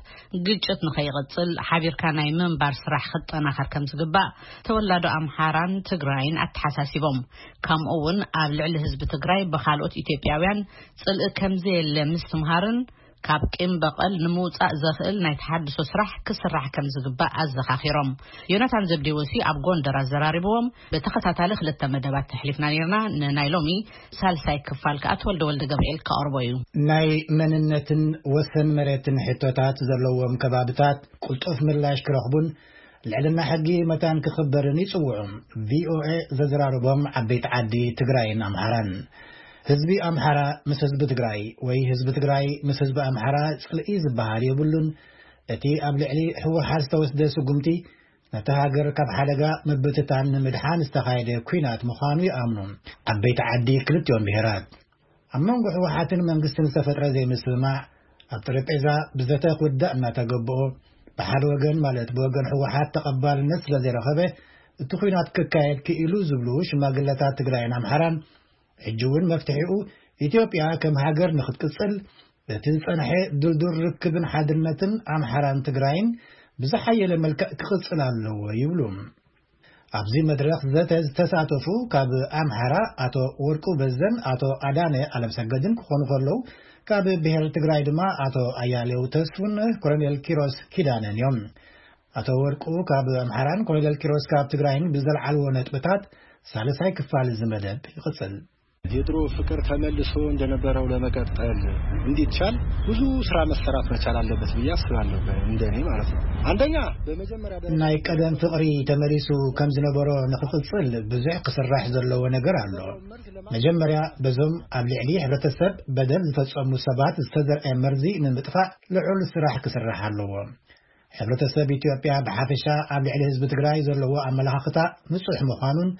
ግጭት ንኸይቕጽል ሓቢርካ ናይ ምንባር ስራሕ ክጠናኸር ከም ዝግባእ ተወላዶ ኣምሓራን ትግራይን ኣተሓሳሲቦም። ከምኡ እውን ኣብ ልዕሊ ህዝቢ ትግራይ ብኻልኦት ኢትዮጵያውያን ጽልኢ ከም ዘየለ ምስትምሃርን ካብ ቂም በቐል ንምውጻእ ዘኽእል ናይ ተሓድሶ ስራሕ ክስራሕ ከም ዝግባእ ኣዘኻኺሮም። ዮናታን ዘብዴዎሲ ኣብ ጎንደር ኣዘራሪብዎም። ብተኸታታሊ ክልተ መደባት ተሕሊፍና ነርና። ንናይ ሎሚ ሳልሳይ ክፋል ከኣ ተወልደ ወልደ ገብርኤል ከቕርቦ እዩ። ናይ መንነትን ወሰን መሬትን ሕቶታት ዘለዎም ከባብታት ቅልጡፍ ምላሽ ክረኽቡን ልዕልና ሕጊ መታን ክኽበርን ይጽውዑ። ቪኦኤ ዘዘራረቦም ዓበይቲ ዓዲ ትግራይን ኣምሓራን። ህዝቢ ኣምሓራ ምስ ህዝቢ ትግራይ ወይ ህዝቢ ትግራይ ምስ ህዝቢ ኣምሓራ ጽልኢ ዝበሃል የብሉን። እቲ ኣብ ልዕሊ ህወሓት ዝተወስደ ስጉምቲ ነታ ሃገር ካብ ሓደጋ ምብትታን ንምድሓን ዝተኻየደ ኲናት ምዃኑ ይኣምኑ ዓበይቲ ዓዲ ክልቲኦም ብሄራት። ኣብ መንጎ ህወሓትን መንግስትን ዝተፈጥረ ዘይምስምማዕ ኣብ ጠረጴዛ ብዘተ ክውዳእ እናተገብኦ፣ ብሓደ ወገን ማለት ብወገን ህወሓት ተቐባልነት ስለ ዘይረኸበ እቲ ኲናት ክካየድ ክኢሉ ዝብሉ ሽማግለታት ትግራይን ኣምሓራን፣ ሕጂ እውን መፍትሒኡ ኢትዮጵያ ከም ሃገር ንኽትቅጽል፣ እቲ ዝጸንሐ ድልዱል ርክብን ሓድነትን ኣምሓራን ትግራይን ብዝሓየለ መልክዕ ክቕጽል ኣለዎ ይብሉ። ኣብዚ መድረኽ ዘተ ዝተሳተፉ ካብ ኣምሓራ ኣቶ ወርቁ በዘን ኣቶ ኣዳነ ኣለምሰገድን ክኾኑ ከለዉ፣ ካብ ብሔር ትግራይ ድማ ኣቶ ኣያሌው ተስፉን ኮሎኔል ኪሮስ ኪዳነን እዮም። ኣቶ ወርቁ ካብ ኣምሓራን ኮሎኔል ኪሮስ ካብ ትግራይን ብዘልዓልዎ ነጥብታት ሳልሳይ ክፋል እዚ መደብ ይቕጽል። የድሮ ፍቅር ተመልሶ እንደነበረው ለመቀጠል እንዲቻል ብዙ ስራ መሰራት መቻል አለበት ብዬ አስባለሁ። እንደኔ ማለት ነው። አንደኛ በመጀመሪያ ደረጃ ናይ ቀደም ፍቕሪ ተመሊሱ ከም ዝነበሮ ንኽቕጽል ብዙሕ ክስራሕ ዘለዎ ነገር ኣሎ። መጀመርያ በዞም ኣብ ልዕሊ ሕብረተሰብ በደል ዝፈጸሙ ሰባት ዝተዘርአ መርዚ ንምጥፋእ ልዑል ስራሕ ክስራሕ ኣለዎ። ሕብረተሰብ ኢትዮጵያ ብሓፈሻ ኣብ ልዕሊ ህዝቢ ትግራይ ዘለዎ ኣመለኻኽታ ንጹሕ ምዃኑን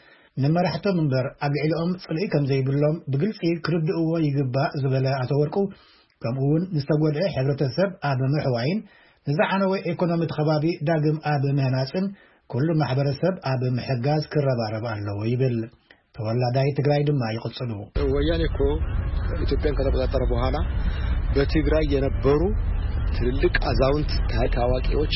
ንመራሕቶም እምበር ኣብ ልዕሊኦም ጽልኢ ከም ዘይብሎም ብግልጺ ክርድእዎ ይግባእ ዝበለ ኣቶ ወርቁ፣ ከምኡ እውን ዝተጎድአ ሕብረተሰብ ኣብ ምሕዋይን ንዝዓነወ ኢኮኖሚ እቲ ከባቢ ዳግም ኣብ ምህናጽን ኩሉ ማሕበረሰብ ኣብ ምሕጋዝ ክረባረብ ኣለዎ ይብል። ተወላዳይ ትግራይ ድማ ይቕጽሉ። ወያኔ እኮ ኢትዮጵያን ከተቆጣጠረ በኋላ በትግራይ የነበሩ ትልልቅ አዛውንት፣ ታሪክ አዋቂዎች፣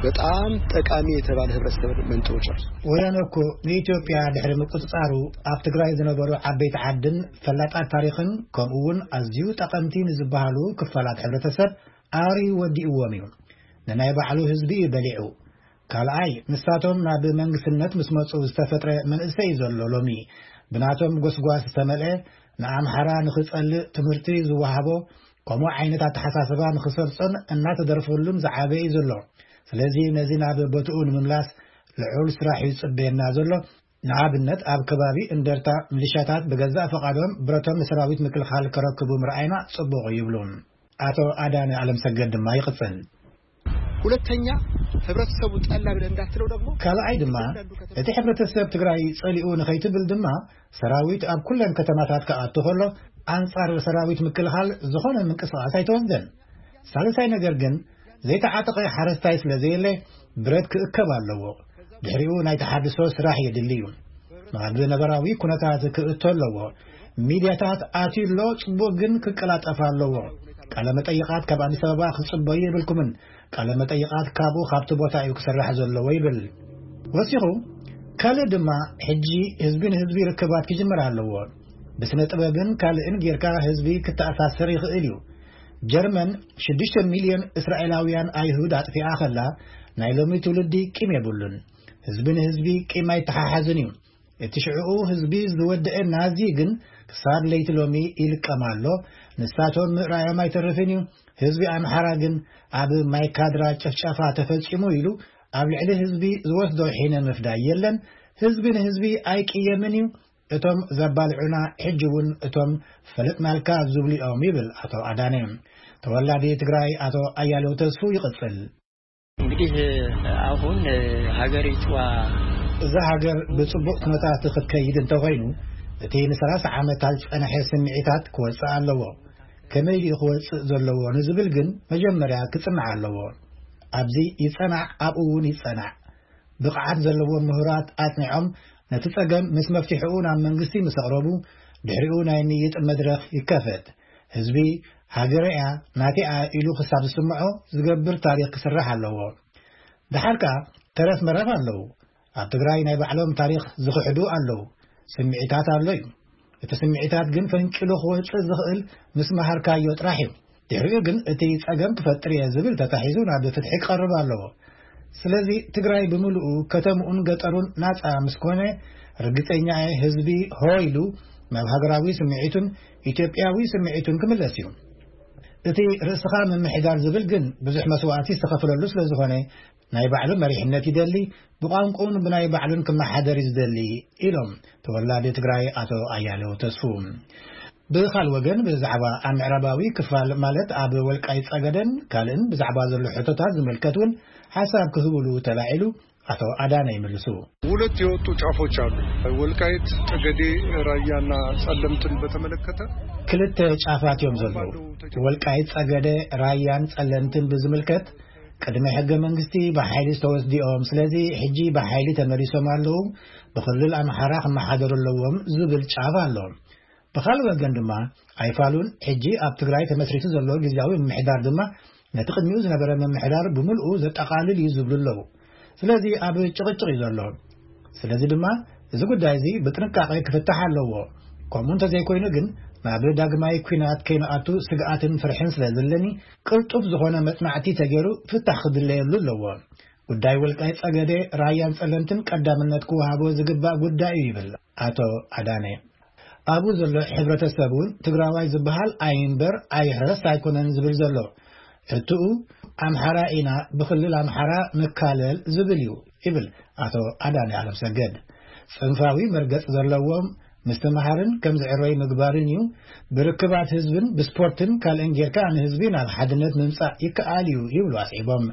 በጣም ጠቃሚ የተባለ ህብረተሰብ መንጥሮ ጨርሶ። ወያነ እኮ ንኢትዮጵያ ድሕሪ ምቁጽጻሩ ኣብ ትግራይ ዝነበሩ ዓበይቲ ዓድን ፈላጣት ታሪኽን ከምኡ እውን ኣዝዩ ጠቐምቲ ንዝበሃሉ ክፋላት ሕብረተሰብ ኣርዩ ወዲእዎም እዩ። ንናይ ባዕሉ ህዝቢ እዩ በሊዑ። ካልኣይ፣ ንሳቶም ናብ መንግስትነት ምስ መጹ ዝተፈጥረ መንእሰይ እዩ ዘሎ ሎሚ። ብናቶም ጎስጓስ ዝተመልአ፣ ንኣምሓራ ንኽጸልእ ትምህርቲ ዝወሃቦ፣ ከምኡ ዓይነት ኣተሓሳስባ ንኽሰርጾን እናተደርፈሉን ዝዓበ እዩ ዘሎ። ስለዚ ነዚ ናብ ቦትኡ ንምምላስ ልዑል ስራሕ እዩ ዝጽበየና ዘሎ። ንኣብነት ኣብ ከባቢ እንደርታ ሚሊሻታት ብገዛእ ፈቓዶም ብረቶም ንሰራዊት ምክልኻል ከረክቡ ምርኣይና ጽቡቕ እዩ ይብሉ ኣቶ ኣዳነ ኣለምሰገድ ድማ ይቕጽል። ሁለተኛ፣ ህብረተሰቡ ጠላ ብለህ እንዳትለው ደግሞ ካልኣይ ድማ እቲ ሕብረተሰብ ትግራይ ጸሊኡ ንኸይትብል ድማ ሰራዊት ኣብ ኩለን ከተማታት ክኣቱ ከሎ ኣንጻር ሰራዊት ምክልኻል ዝኾነ ምንቅስቓስ ኣይተወስደን። ሳልሳይ ነገር ግን ዘይተዓጠቐ ሓረስታይ ስለ ዘየለ ብረት ክእከብ ኣለዎ። ድሕሪኡ ናይ ተሓድሶ ስራሕ የድሊ እዩ። ናብ ነበራዊ ኩነታት ክእቶ ኣለዎ። ሚድያታት ኣትዩ ኣሎ፣ ጽቡቕ ግን ክቀላጠፍ ኣለዎ። ቃለ መጠይቓት ካብ ኣዲስ ኣበባ ክትጽበዩ የብልኩምን። ቃለ መጠይቓት ካብኡ ካብቲ ቦታ እዩ ክስራሕ ዘለዎ ይብል። ወሲኹ፣ ካልእ ድማ ሕጂ ህዝቢ ንህዝቢ ርክባት ክጅምር ኣለዎ። ብስነ ጥበብን ካልእን ጌርካ ህዝቢ ክተኣሳስር ይኽእል እዩ። ጀርመን ሽዱሽተ ሚልዮን እስራኤላውያን ኣይሁድ ኣጥፊኣ ከላ ናይ ሎሚ ትውልዲ ቂም የብሉን። ህዝቢ ንህዝቢ ቂም ኣይተሓሓዝን እዩ። እቲ ሽዕኡ ህዝቢ ዝወደአ ናዚ ግን ክሳብ ለይቲ ሎሚ ይልቀም ኣሎ። ንሳቶም ምእራዮም ኣይተርፍን እዩ። ህዝቢ ኣምሓራ ግን ኣብ ማይካድራ ጭፍጨፋ ተፈጺሙ ኢሉ ኣብ ልዕሊ ህዝቢ ዝወስዶ ሒነ ምፍዳይ የለን። ህዝቢ ንህዝቢ ኣይቅየምን እዩ። እቶም ዘባልዑና ሕጂ እውን እቶም ፈለጥናልካ ዝብሉ እዮም ይብል ኣቶ ኣዳነ። ተወላዲ ትግራይ ኣቶ ኣያሌው ተስፉ ይቕጽል። እንግዲህ አሁን ሀገሪቷ እዛ ሃገር ብጽቡቕ ኩነታት ክትከይድ እንተኾይኑ እቲ ንሰላሳ ዓመታት ዝጸንሐ ስምዒታት ክወጽእ ኣለዎ። ከመይ ድዩ ክወጽእ ዘለዎ ንዝብል ግን መጀመርያ ክጽናዕ ኣለዎ። ኣብዚ ይጸናዕ፣ ኣብኡ እውን ይጸናዕ። ብቕዓት ዘለዎም ምሁራት ኣጽኒዖም ነቲ ጸገም ምስ መፍትሒኡ ናብ መንግስቲ ምስ ኣቕረቡ፣ ድሕሪኡ ናይ ምይይጥ መድረኽ ይከፈት። ህዝቢ ሃገረያ ናቲኣ ኢሉ ክሳብ ዝስምዖ ዝገብር ታሪኽ ክስራሕ ኣለዎ። ደሓር ከኣ ተረፍ መረፍ ኣለዉ። ኣብ ትግራይ ናይ ባዕሎም ታሪኽ ዝኽሕዱ ኣለዉ። ስምዒታት ኣሎ እዩ። እቲ ስምዒታት ግን ፈንቂሉ ክወጽእ ዝኽእል ምስ መሃርካዮ ጥራሕ እዩ። ድሕሪኡ ግን እቲ ጸገም ክፈጥር እየ ዝብል ተታሒዙ ናብ ፍትሒ ክቐርብ ኣለዎ። ስለዚ ትግራይ ብምልኡ ከተምኡን ገጠሩን ናጻ ምስ ኮነ፣ ርግጸኛ እየ ህዝቢ ሆ ኢሉ ናብ ሃገራዊ ስምዒቱን ኢትዮጵያዊ ስምዒቱን ክምለስ እዩ። እቲ ርእስኻ ምምሕዳር ዝብል ግን ብዙሕ መስዋእቲ ዝተኸፍለሉ ስለ ዝኾነ፣ ናይ ባዕሉ መሪሕነት ይደሊ፣ ብቋንቋኡን ብናይ ባዕሉን ክመሓደር እዩ ዝደሊ ኢሎም ተወላዲ ትግራይ ኣቶ ኣያሌው ተስፉ። ብኻል ወገን ብዛዕባ ኣብ ምዕራባዊ ክፋል ማለት ኣብ ወልቃይ ጸገደን ካልእን ብዛዕባ ዘሎ ሕቶታት ዝምልከት እውን ሓሳብ ክህብሉ ተላዒሉ ኣቶ ኣዳነ ይምልሱ። ሁለት የወጡ ጫፎች አሉ። ወልቃይት ጠገዴ፣ ራያና ጸለምትን በተመለከተ ክልተ ጫፋት እዮም ዘለዉ። ወልቃይት ጸገደ፣ ራያን ጸለምትን ብዝምልከት ቅድሚ ሕገ መንግስቲ ብሓይሊ ዝተወስዲኦም፣ ስለዚ ሕጂ ብሓይሊ ተመሊሶም ኣለዉ፣ ብክልል ኣምሓራ ክመሓደሩ ኣለዎም ዝብል ጫፍ ኣሎ። ብኻልእ ወገን ድማ ኣይፋሉን ሕጂ ኣብ ትግራይ ተመስሪቱ ዘሎ ግዝያዊ ምምሕዳር ድማ ነቲ ቅድሚኡ ዝነበረ ምምሕዳር ብምልኡ ዘጠቓልል እዩ ዝብሉ ኣለዉ። ስለዚ ኣብ ጭቕጭቕ እዩ ዘሎ። ስለዚ ድማ እዚ ጉዳይ እዚ ብጥንቃቐ ክፍታሕ ኣለዎ። ከምኡ እንተዘይኮይኑ ግን ናብ ዳግማይ ኲናት ከይንኣቱ ስግኣትን ፍርሕን ስለ ዘለኒ ቅልጡፍ ዝኾነ መጽናዕቲ ተገይሩ ፍታሕ ክድለየሉ ኣለዎ። ጉዳይ ወልቃይ ጸገዴ፣ ራያን ጸለምትን ቀዳምነት ክወሃቦ ዝግባእ ጉዳይ እዩ ይብል ኣቶ ኣዳነ። ኣብኡ ዘሎ ሕብረተሰብ እውን ትግራዋይ ዝበሃል ኣይንበር ኣይሕረስ ኣይኮነን ዝብል ዘሎ። ሕትኡ ኣምሓራ ኢና፣ ብክልል ኣምሓራ ንካለል ዝብል እዩ ይብል ኣቶ ኣዳነ ኣለምሰገድ። ጽንፋዊ መርገጽ ዘለዎም ምስትምሃርን ከም ዝዕረዩ ምግባርን እዩ። ብርክባት ህዝብን ብስፖርትን ካልእን ጌርካ ንህዝቢ ናብ ሓድነት ምምጻእ ይከኣል እዩ ይብሉ ኣስዒቦም።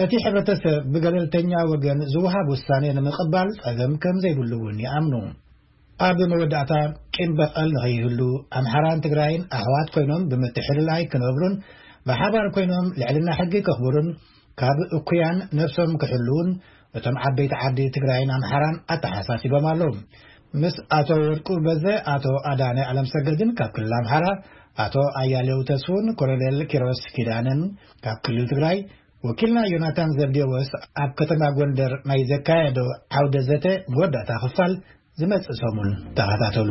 እቲ ሕብረተሰብ ብገለልተኛ ወገን ዝወሃብ ውሳኔ ንምቕባል ጸገም ከም ዘይብሉ እውን ይኣምኑ። ኣብ መወዳእታ ቂም በቐል ንኸይህሉ ኣምሓራን ትግራይን ኣሕዋት ኮይኖም ብምትሕልላይ ክነብሩን ብሓባር ኮይኖም ልዕልና ሕጊ ከኽብሩን ካብ እኩያን ነብሶም ክሕልዉን እቶም ዓበይቲ ዓዲ ትግራይን ኣምሓራን ኣተሓሳሲቦም ኣለዉ። ምስ ኣቶ ወርቁ በዘ፣ ኣቶ ኣዳነ ኣለምሰገድን ካብ ክልል ኣምሓራ፣ ኣቶ ኣያሌው ተስፉን ኮሎኔል ኪሮስ ኪዳነን ካብ ክልል ትግራይ፣ ወኪልና ዮናታን ዘብዴዎስ ኣብ ከተማ ጎንደር ናይ ዘካየዶ ዓውደ ዘተ መወዳእታ ክፋል ዝመጽእ ሰሙን ተኸታተሉ።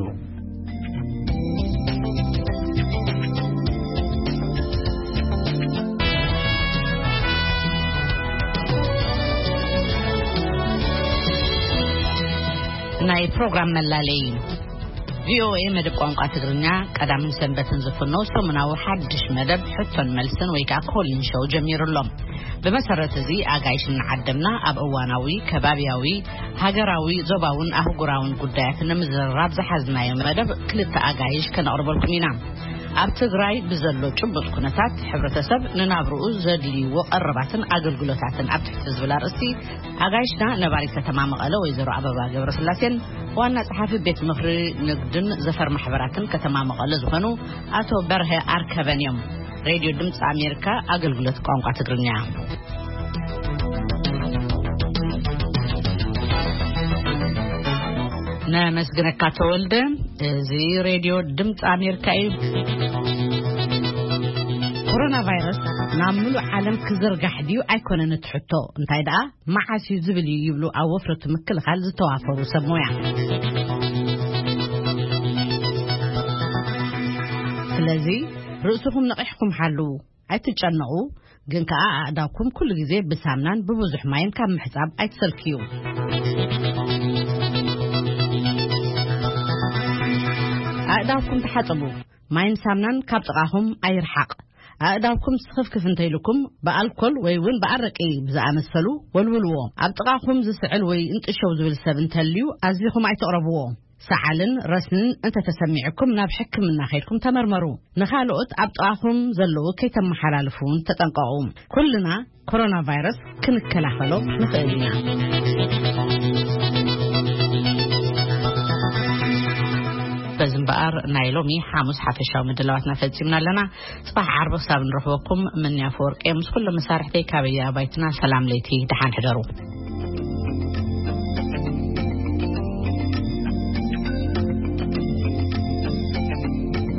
ናይ ፕሮግራም መላለይ። ቪኦኤ መደብ ቋንቋ ትግርኛ ቀዳምን ሰንበትን ዝፍኖ ሰሙናዊ ሓድሽ መደብ ሕቶን መልስን ወይ ከዓ ኮሊን ሾው ጀሚሩ ኣሎ። ብመሰረት እዚ ኣጋይሽ እናዓደምና ኣብ እዋናዊ፣ ከባብያዊ፣ ሃገራዊ፣ ዞባውን ኣህጉራውን ጉዳያት ንምዝርራብ ዝሓዝናዮ መደብ ክልተ ኣጋይሽ ከነቕርበልኩም ኢና። ኣብ ትግራይ ብዘሎ ጭቡጥ ኩነታት ሕብረተሰብ ንናብርኡ ዘድልይዎ ቀረባትን ኣገልግሎታትን ኣብ ትሕቲ ዝብል ኣርእስቲ ኣጋይሽና ነባሪት ከተማ መቐለ ወይዘሮ ኣበባ ገብረስላሴን ዋና ጸሓፊ ቤት ምኽሪ ንግድን ዘፈር ማሕበራትን ከተማ መቐለ ዝኾኑ ኣቶ በርሀ ኣርከበን እዮም። ሬድዮ ድምፂ ኣሜሪካ ኣገልግሎት ቋንቋ ትግርኛ። ነመስግነካ ተወልደ። እዚ ሬድዮ ድምፂ ኣሜሪካ እዩ። ኮሮና ቫይረስ ናብ ምሉእ ዓለም ክዝርጋሕ ድዩ ኣይኮነን እቲ ሕቶ፣ እንታይ ደኣ መዓስ እዩ ዝብል እዩ ይብሉ ኣብ ወፍረቱ ምክልኻል ዝተዋፈሩ ሰብ ሞያ። ስለዚ ርእስኹም ነቒሕኩም ሓልዉ፣ ኣይትጨነቑ። ግን ከኣ ኣእዳውኩም ኩሉ ግዜ ብሳምናን ብብዙሕ ማይን ካብ ምሕጻብ ኣይትሰልክዩ። ኣእዳውኩም ተሓጸቡ። ማይን ሳምናን ካብ ጥቓኹም ኣይርሓቕ። ኣእዳውኩም ስኽፍክፍ እንተኢልኩም ብኣልኮል ወይ እውን ብኣረቂ ብዝኣመሰሉ ወልውልዎ። ኣብ ጥቓኹም ዝስዕል ወይ እንጥሸው ዝብል ሰብ እንተልዩ ኣዚኹም ኣይተቕረብዎ። ሰዓልን ረስንን እንተተሰሚዕኩም ናብ ሕክምና ከይድኩም ተመርመሩ። ንኻልኦት ኣብ ጥቓኹም ዘለዉ ከይተመሓላልፉ እውን ተጠንቀቑ። ኩልና ኮሮና ቫይረስ ክንከላኸሎ ንኽእል ኢና። በዚ ኣር ናይ ሎሚ ሓሙስ ሓፈሻዊ ምድላዋትና ፈጺምና ኣለና። ጽባሕ ዓርቢ ክሳብ ንረኽበኩም፣ ምንያ ፈወርቂ ምስ ኩሎም መሳርሕተይ ካበየ ኣባይትና ሰላም ለይቲ፣ ደሓን ሕደሩ።